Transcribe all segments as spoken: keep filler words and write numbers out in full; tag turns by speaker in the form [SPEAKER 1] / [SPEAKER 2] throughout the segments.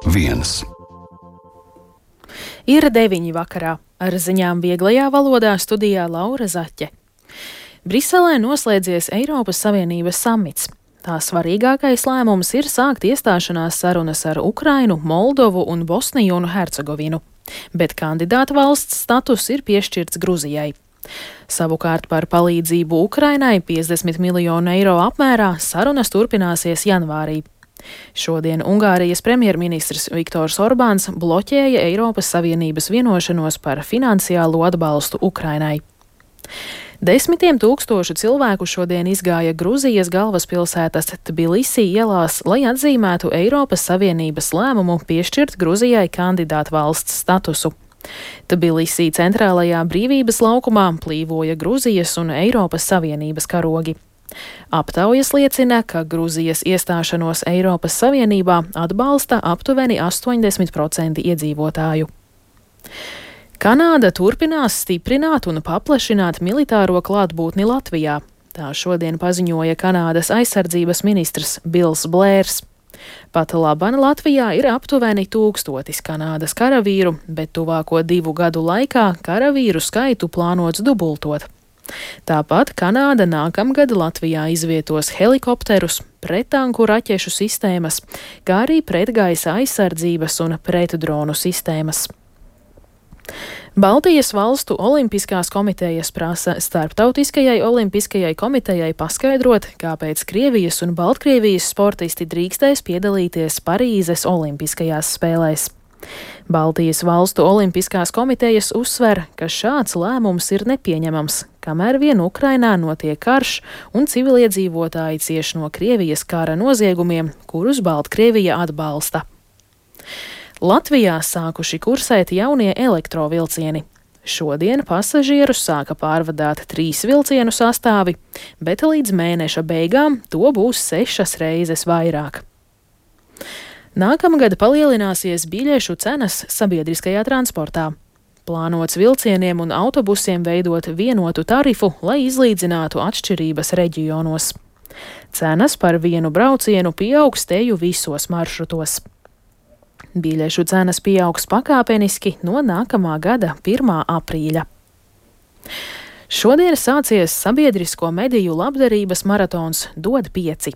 [SPEAKER 1] viens.
[SPEAKER 2] Ir deviņi vakarā. Ar ziņām vieglajā valodā studijā Laura Zaķe. Briselē noslēdzies Eiropas Savienības samits. Tā svarīgākais lēmums ir sākt iestāšanās sarunas ar Ukrainu, Moldovu un Bosniju un Hercegovinu, bet kandidāta valsts status ir piešķirts Gruzijai. Savukārt par palīdzību Ukrainai piecdesmit miljonu eiro apmērā sarunas turpināsies janvārī. Šodien Ungārijas premjerministrs Viktors Orbāns bloķēja Eiropas Savienības vienošanos par finansiālo atbalstu Ukrainai. Desmitiem tūkstošu cilvēku šodien izgāja Gruzijas galvaspilsētas Tbilisī ielās, lai atzīmētu Eiropas Savienības lēmumu piešķirt Gruzijai kandidātu valsts statusu. Tbilisī centrālajā Brīvības laukumā plīvoja Gruzijas un Eiropas Savienības karogi. Aptaujas liecina, ka Gruzijas iestāšanos Eiropas Savienībā atbalsta aptuveni astoņdesmit procenti iedzīvotāju. Kanāda turpinās stiprināt un paplašināt militāro klātbūtni Latvijā. Tā šodien paziņoja Kanādas aizsardzības ministrs Bils Blērs. Pat laban Latvijā ir aptuveni tūkstotis Kanādas karavīru, bet tuvāko divu gadu laikā karavīru skaitu plānots dubultot. Tāpat Kanāda nākamgad Latvijā izvietos helikopterus, prettanku raķešu sistēmas, kā arī pretgaisa aizsardzības un pretdronu sistēmas. Baltijas valstu olimpiskās komitejas prasa Starptautiskajai olimpiskajai komitejai paskaidrot, kāpēc Krievijas un Baltkrievijas sportisti drīkstēs piedalīties Parīzes olimpiskajās spēlēs. Baltijas valstu olimpiskās komitejas uzsver, ka šāds lēmums ir nepieņemams, kamēr vien Ukrainā notiek karš un civiliedzīvotāji cieš no Krievijas kara noziegumiem, kurus Baltkrievija atbalsta. Latvijā sākuši kursēt jaunie elektrovilcieni. Šodien pasažierus sāka pārvadāt trīs vilcienu sastāvi, bet līdz mēneša beigām to būs sešas reizes vairāk. Nākamgad palielināsies biļešu cenas sabiedriskajā transportā. Plānots vilcieniem un autobusiem veidot vienotu tarifu, lai izlīdzinātu atšķirības reģionos. Cenas par vienu braucienu pieaugs teju visos maršrutos. Biļešu cenas pieaugs pakāpeniski no nākamā gada pirmā aprīļa. Šodien sācies sabiedrisko mediju labdarības maratons Dod pieci.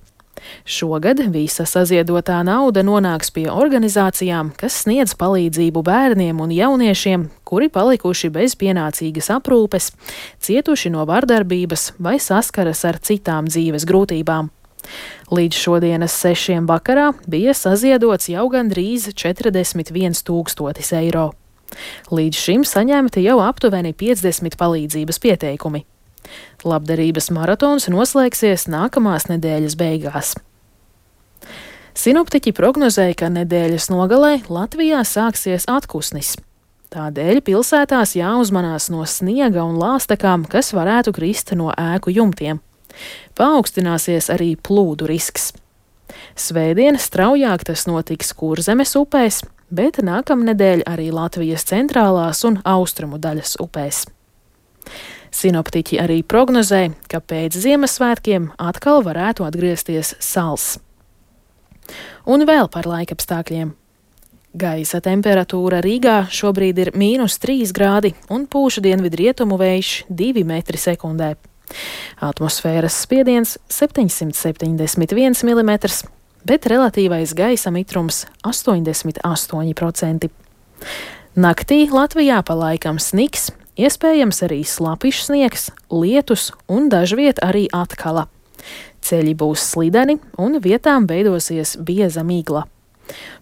[SPEAKER 2] Šogad visa saziedotā nauda nonāks pie organizācijām, kas sniedz palīdzību bērniem un jauniešiem, kuri palikuši bez pienācīgas aprūpes, cietuši no vardarbības vai saskaras ar citām dzīves grūtībām. Līdz šodienas sešiem vakarā bija saziedots jau gandrīz četrdesmit viens tūkstotis eiro. Līdz šim saņemti jau aptuveni piecdesmit palīdzības pieteikumi. Labdarības maratons noslēgsies nākamās nedēļas beigās. Sinoptiķi prognozēja, ka nedēļas nogalē Latvijā sāksies atkusnis. Tādēļ pilsētās jāuzmanās no sniega un lāstakām, kas varētu krist no ēku jumtiem. Paaugstināsies arī plūdu risks. Svētdien straujāk tas notiks Kurzemes upēs, bet nākamnedēļ arī Latvijas centrālās un austrumu daļas upēs. Sinoptiķi arī prognozē, ka pēc Ziemassvētkiem atkal varētu atgriezties sals. Un vēl par laikapstākļiem. Gaisa temperatūra Rīgā šobrīd ir mīnus trīs grādi un pūš dienvidrietumu vējš divi metri sekundē. Atmosfēras spiediens septiņsimt septiņdesmit viens milimetrs, bet relatīvais gaisa mitrums astoņdesmit astoņi procenti. Naktī Latvijā pa laikam sniks, iespējams arī slapišs sniegs, lietus un dažviet arī atkala. Ceļi būs slideni un vietām veidosies bieza migla.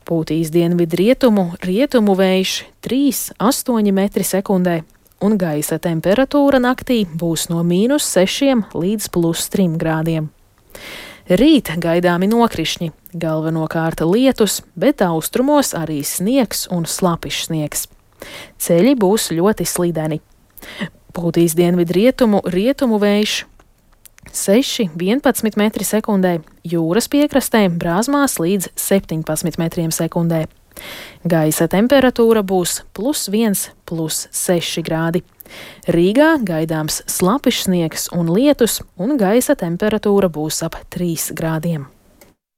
[SPEAKER 2] Pūtīs dienvidrietumu, rietumu vējš trīs līdz astoņi metri sekundē. Un gaisa temperatūra naktī būs no mīnus sešiem līdz plus trim grādiem. Rīt gaidāmi nokrišņi, galvenokārt lietus, bet austrumos arī sniegs un slapišs sniegs. Ceļi būs ļoti slideni. Pūtīs dienvidrietumu, rietumu vējš seši līdz vienpadsmit metri sekundē, jūras piekrastē brāzmās līdz septiņpadsmit metriem sekundē. Gaisa temperatūra būs plus viens, plus seši grādi. Rīgā gaidāms slapišs sniegs un lietus, un gaisa temperatūra būs ap trīs grādiem.